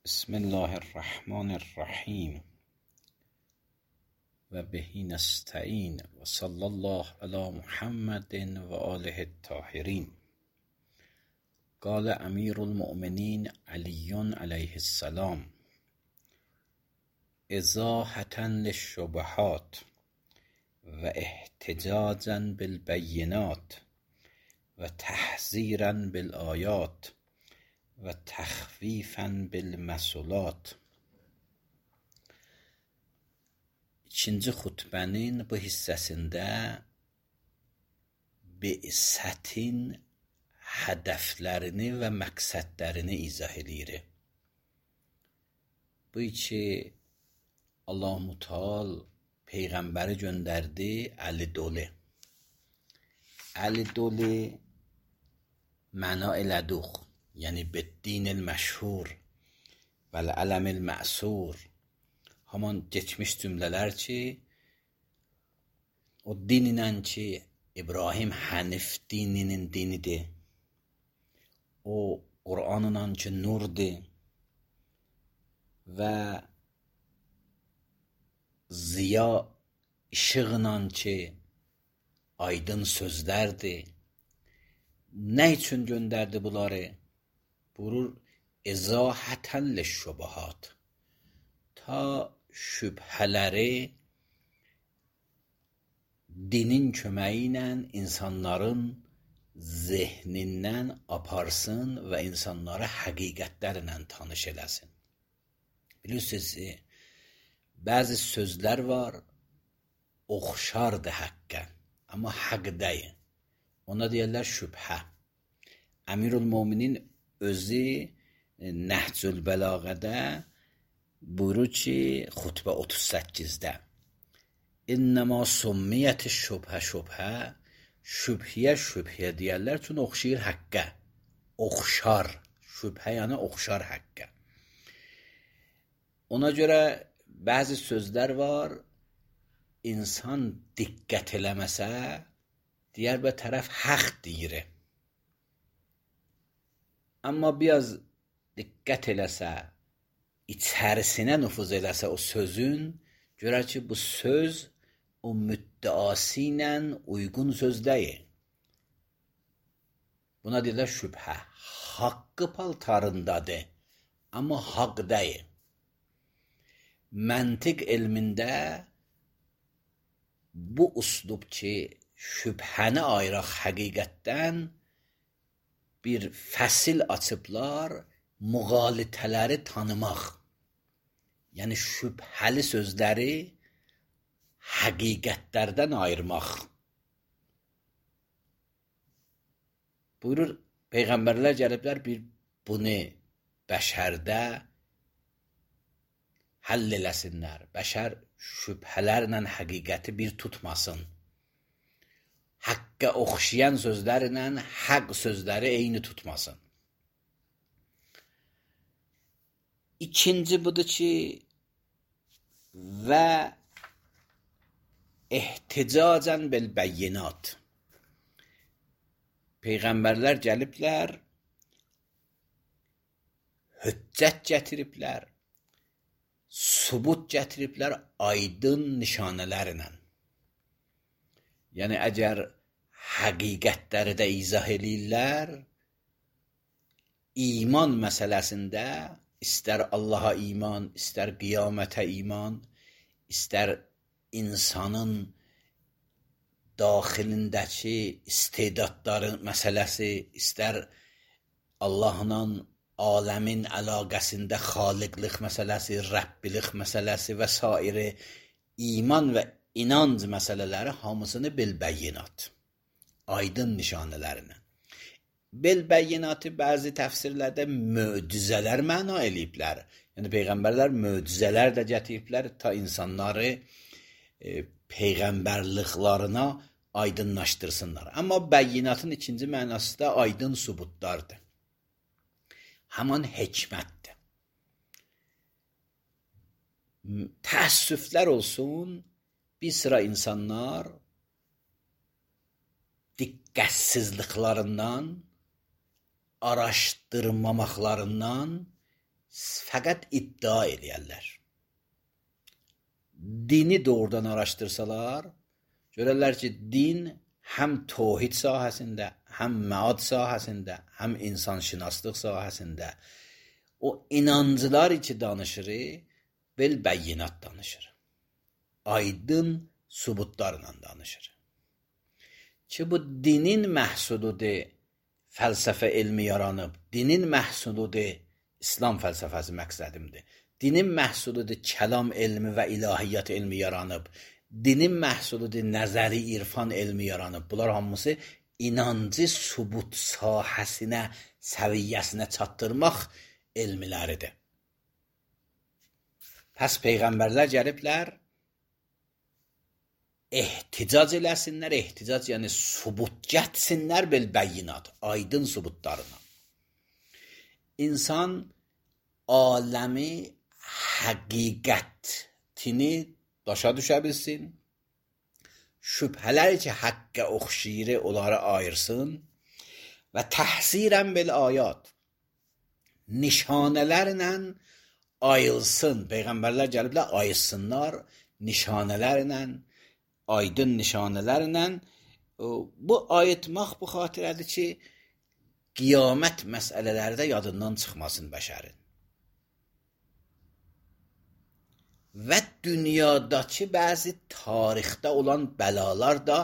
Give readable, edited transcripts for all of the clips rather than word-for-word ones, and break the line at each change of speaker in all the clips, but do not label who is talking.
بسم الله الرحمن الرحیم و بهی نستعین و صلی الله علی محمد و آله الطاهرین. قال امیر المؤمنین علی علیه السلام: ازاحة للشبهات و احتجاجا بالبینات و تحذیرا بالآیات و تخفیفا بالمثلات. İkinci xutbənin bu hissəsində bi'sətin hədəflərini və məqsədlərini izah edir. Bu ki, Allah-u Teala Peyğəmbəri göndərdi əli dolu. Əli dolu məna elədik. Yəni beddinil məşhur vəl ələmil məsur. Haman geçmiş cümlələr ki, o din ilə ki, İbrahim Hənif dininin dinidir. O Qur'anla ki, nurdur və ziya işıqla ki, aydın sözlərdir. Nə üçün göndərdi bunları? Buyurur, izahətən lişşubuhat. Ta şübhələri dinin köməyi ilə insanların zehnindən aparsın və insanları həqiqətlərlə tanış eləsin. Bilirsiniz, bəzi sözlər var, oxşardır həqqə, amma haqq deyil. Ona deyirlər şübhə. Əmirülmüminin özü Nəhcül Bəlağədə buyurur ki, xutbə 38-də: İnnəmə summiyyəti şübhə şübhə, şübhiyə deyərlər, çünki oxşayır həqqə. Oxşar, şübhə yəni oxşar həqqə. Ona görə bəzi sözlər var, insan diqqət eləməsə, digər bir tərəf haqq deyir. Amma biraz diqqət eləsə, içərisinə nüfuz eləsə o sözün, görər ki, bu söz o müddəası ilə uyğun söz deyil. Buna deyirlər şübhə. Haqqı paltarındadır, amma haqq deyil. Məntiq elmində bu üslub ki, şübhəni ayıraq həqiqətdən bir fəsil açıblar, müğalitələri tanımaq. Yəni şübhəli sözləri həqiqətlərdən ayırmaq. Buyurur, Peyğəmbərlər gəliblər bunu bəşərdə həll eləsinlər. Bəşər şübhələrlə həqiqəti bir tutmasın. Haqqa oxşayan sözlərlə haqq sözləri eyni tutmasın. İkinci budur ki, və ehticacən bilbəyinat. Peyğəmbərlər gəliblər, hüccət gətiriblər, sübut gətiriblər aydın nişanələrlə. Yəni, əgər həqiqətləri də izah eləyirlər, iman məsələsində istər Allaha iman, istər qiyamətə iman, istər insanın daxilindəki istedadları məsələsi, istər Allahla aləmin əlaqəsində xaliqlik məsələsi, Rəbbilik məsələsi və s. iman və inanc məsələləri hamısını bilbəyinat, aydın nişanələrinə. Bilbəyinatı bəzi təfsirlərdə möcüzələr məna eləyiblər. Yəni, Peyğəmbərlər möcüzələr də gətiriblər ta insanları Peyğəmbərliklarına aydınlaşdırsınlar. Amma bəyinatın ikinci mənası da aydın sübutlardır. Həman hikmətdir. Təəssüflər olsun, bir sıra insanlar diqqətsizliklərindən, araşdırmamaqlarından fəqət iddia eləyərlər. Dini doğrudan araşdırsalar, görərlər ki, din həm tövhid sahəsində, həm məad sahəsində, həm insanşünaslıq sahəsində o inancılar ki danışır, bil bəyyinat danışır. Aydın sübutlarla danışır. Ki bu dinin məhsuludur, fəlsəfə elmi yaranıb, dinin məhsuludur, İslam fəlsəfəsi məqsədimdir. Dinin məhsuludur, kəlam elmi və ilahiyyat elmi yaranıb, dinin məhsuludur, nəzəri irfan elmi yaranıb. Bunlar hamısı inancı sübut sahəsinə, səviyyəsinə çatdırmaq elmiləridir. Pəs Peyğəmbərlər gəliblər, ehticac eləsinlər, ehticac yəni sübut gətsinlər bil bəyyinat, aydın sübutlarına. İnsan aləmi həqiqətini başa düşə bilsin, şübhələr ki həqqə oxşayır, onları ayırsın və təhsirən bil ayat, nişanələrlə ayılsın. Peyğəmbərlər gəliblər, ayılsınlar nişanələrlə, aydın nişanələrlə. Bu ayıtmaq bu xatirədir ki, qiyamət məsələlərdə yadından çıxmasın bəşərin. Və dünyadakı bəzi tarixdə olan bəlalar da,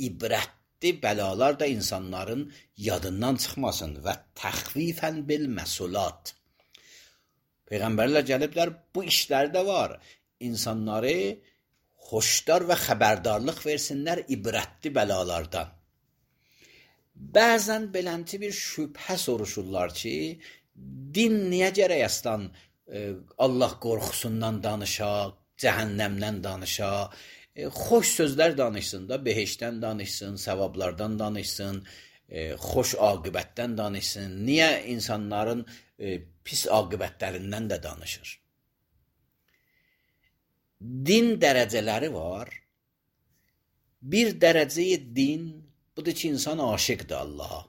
ibrətli bəlalar da insanların yadından çıxmasın və təxvifən bil məsulat. Peyğəmbərlər gəliblər, bu işlərdə var. İnsanları xoşdar və xəbərdarlıq versinlər ibrətli bəlalardan. Bəzən belənti bir şübhə soruşurlar ki, din niyə gərək aslan Allah qorxusundan danışa, cəhənnəmdən danışa, xoş sözlər danışsın da, behişdən danışsın, savablardan danışsın, xoş aqibətdən danışsın. Niyə insanların pis aqibətlərindən də danışır? Din dərəcələri var. Bir dərəcəyi din, budur ki, insan aşiqdir Allaha.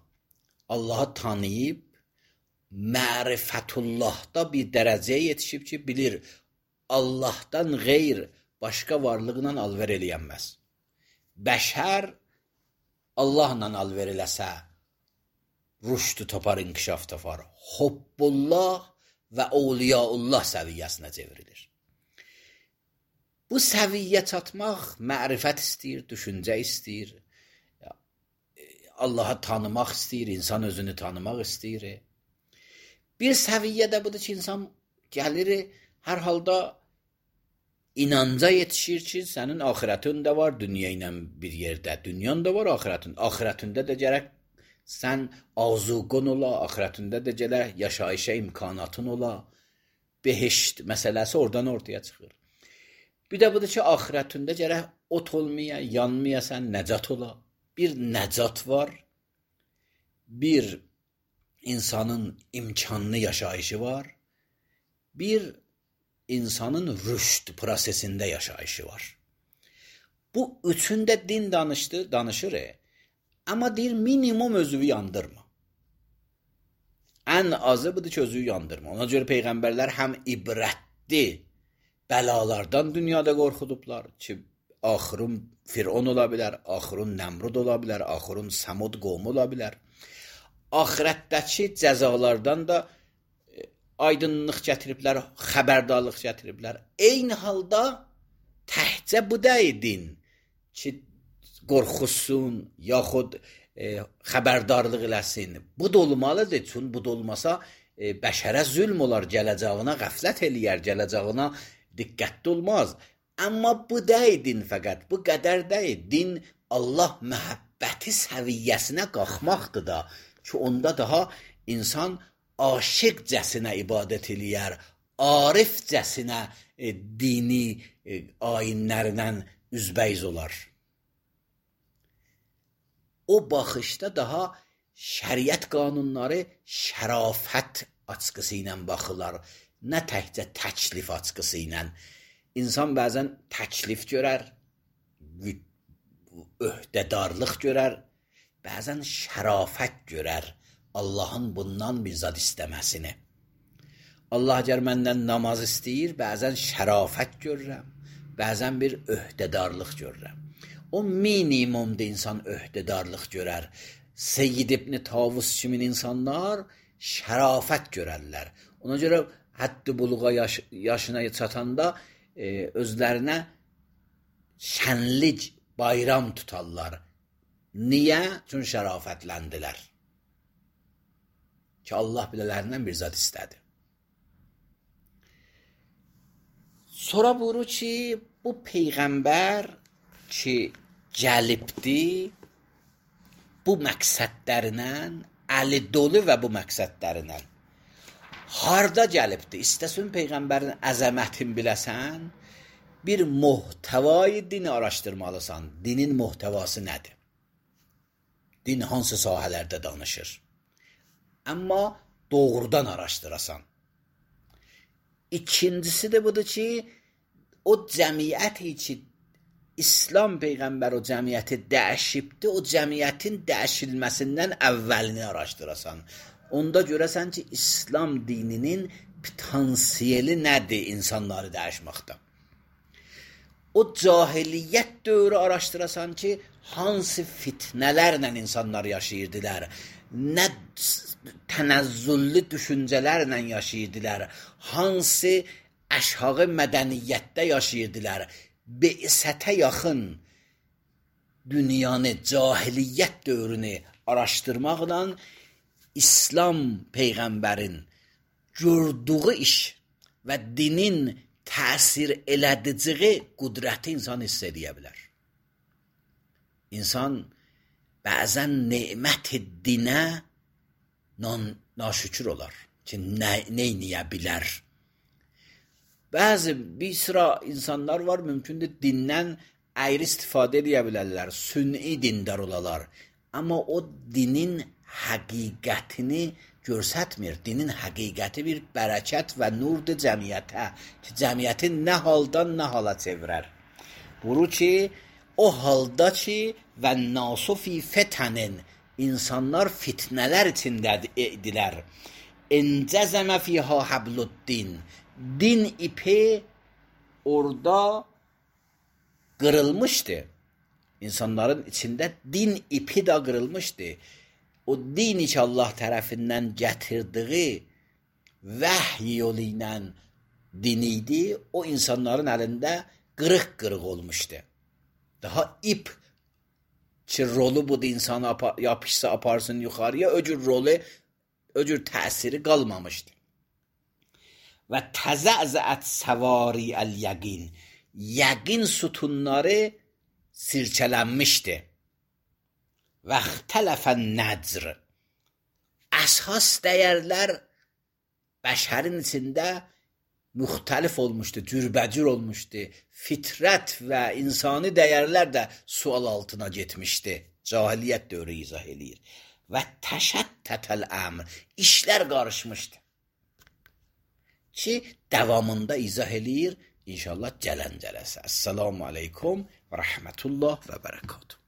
Allahı tanıyıb, mərifətullahda bir dərəcəyə yetişib ki, bilir, Allahdan qeyr başqa varlıqla alver eləyənməz. Bəşər Allahla alver eləsə, rüşdü tapar, inkişaf tapar. Hubbullah və Awliyaullah səviyyəsinə çevrilir. Bu səviyyə çatmaq mərifət istəyir, düşüncə istəyir, Allahı tanımaq istəyir, insan özünü tanımaq istəyir. Bir səviyyə də budur ki, insan gəlir, hər halda inanca yetişir ki, sənin axirətin də var, dünya ilə bir yerdə. Dünyan da var, axirətin. Axirətində də gərək sən azuqun ola, axirətində də gərək yaşayışa imkanatın ola. Behişt məsələsi oradan ortaya çıxır. Bir də budur ki, axirətində gərək ot olmaya, yanmaya sən nəcat ola. Bir nəcat var, bir insanın imkanlı yaşayışı var, bir insanın rüşd prosesində yaşayışı var. Bu üçündə din danışır, amma deyir, minimum özünü yandırma. Ən azı budur ki, özünü yandırma. Ona görə Peyğəmbərlər həm ibrətli bəlalardan dünyada qorxudublar ki, axırın Firon ola bilər, axırın Nəmrud ola bilər, axırın Səmud qovmu ola bilər. Axirətdəki cəzalardan da aydınlıq gətiriblər, xəbərdarlıq gətiriblər. Eyni halda təhcə bu dəydin ki, qorxusun, yaxud xəbərdarlıq eləsin. Bu da olmalıdır, çünki bu da olmasa bəşərə zülm olar, gələcəyinə qəflət eləyər, gələcəyinə diqqətli olmaz. Amma bu dəydin fəqət, bu qədər deyil. Din Allah məhəbbəti səviyyəsinə qalxmaqdır da ki, onda daha insan aşiqcəsinə ibadət eləyər, arifcəsinə dini ayinlərlə üzbəyiz olar. O baxışda daha şəriət qanunları şərafət açqısı ilə baxırlar, nə təkcə təklif açqısı ilə. İnsan bəzən təklif görər, öhdədarlıq görər, bəzən şərafət görər, Allahın bundan bir zad istəməsini. Allah əgər məndən namaz istəyir, bəzən şərafət görürəm, bəzən bir öhdədarlıq görürəm. O minimumda insan öhdədarlıq görər. Seyyid İbn Tavus kimin insanlar şərafət görərlər. Ona görə həddi buluğa yaşına çatanda özlərinə şənlik bayram tutarlar. Niyə? Çünki şərafətləndilər. Ki Allah bilələrindən bir zat istədi. Sonra buyurur ki, bu peyğəmbər ki gəlibdi, bu məqsədlərinlə, əli dolu və bu məqsədlərinlə. Harda gəlibdi? İstəsən peyğəmbərin əzəmətini biləsən, bir muhtəvayı dini araşdırmalısan. Dinin muhtəvası nədir? Din hansı sahələrdə danışır? Amma doğrudan araşdırasan. İkincisi de budur ki, o cəmiyyəti ki, İslam Peyğəmbər o cəmiyyəti dəyişibdi, o cəmiyyətin dəyişilməsindən əvvəlini araşdırasan. Onda görəsən ki, İslam dininin potansiyeli nədir insanları dəyişməkdə? O cahiliyyət dövrü araşdırasan ki, hansı fitnələrlə insanlar yaşayırdılar, nə tənəzzüllü düşüncələrlə yaşayırdılar, hansı əşhağı mədəniyyətdə yaşayırdılar, be'sətə yaxın dünyanı, cahiliyyət dövrünü araşdırmaqla İslam Peyğəmbərin gördüyü iş və dinin təsir elədiciyi qüdrəti insan hiss edə bilər. İnsan bəzən nemət-i dinə naşükür olar ki, neyniyə bilər. Bəzi bir sıra insanlar var, mümkündür dindən əyri istifadə edə bilərlər, sünni dindar olalar. Amma o dinin həqiqətini görsətmir. Dinin həqiqəti bir bərəkət və nurdur cəmiyyətə ki, cəmiyyəti nə haldan nə hala çevirər. Buyurur ki, o halda ki və nasu fi fetənin, insanlar fitnələr içindədirlər. İncəzəmə fiyhə habluddin, din ipi orada qırılmışdı. İnsanların içində din ipi də qırılmışdı. O dini ki Allah tərəfindən gətirdiyi vəhy yolu ilə din idi, o insanların əlində qırıq-qırıq olmuşdu. Daha ip ki rolu budur, insanı yapışsa aparsın yuxarıya, o cür təsiri qalmamışdı. Və təzəzəət səvari əl-yəqin, yəqin sütunları sirkələnmişdi. Və ixtələfən nəcr, əsas dəyərlər bəşərin içində müxtəlif olmuşdu, cürbəcür olmuşdu. Fitrət və insani dəyərlər də sual altına getmişdi. Cahiliyyət dövrü izah eləyir. Və təşəttətəl əmr, işlər qarışmışdı. Ki, davamında izah eləyir, inşallah gələn cələsə. Əssalamu aleykum və rəhmətullah və bərəkatuhu.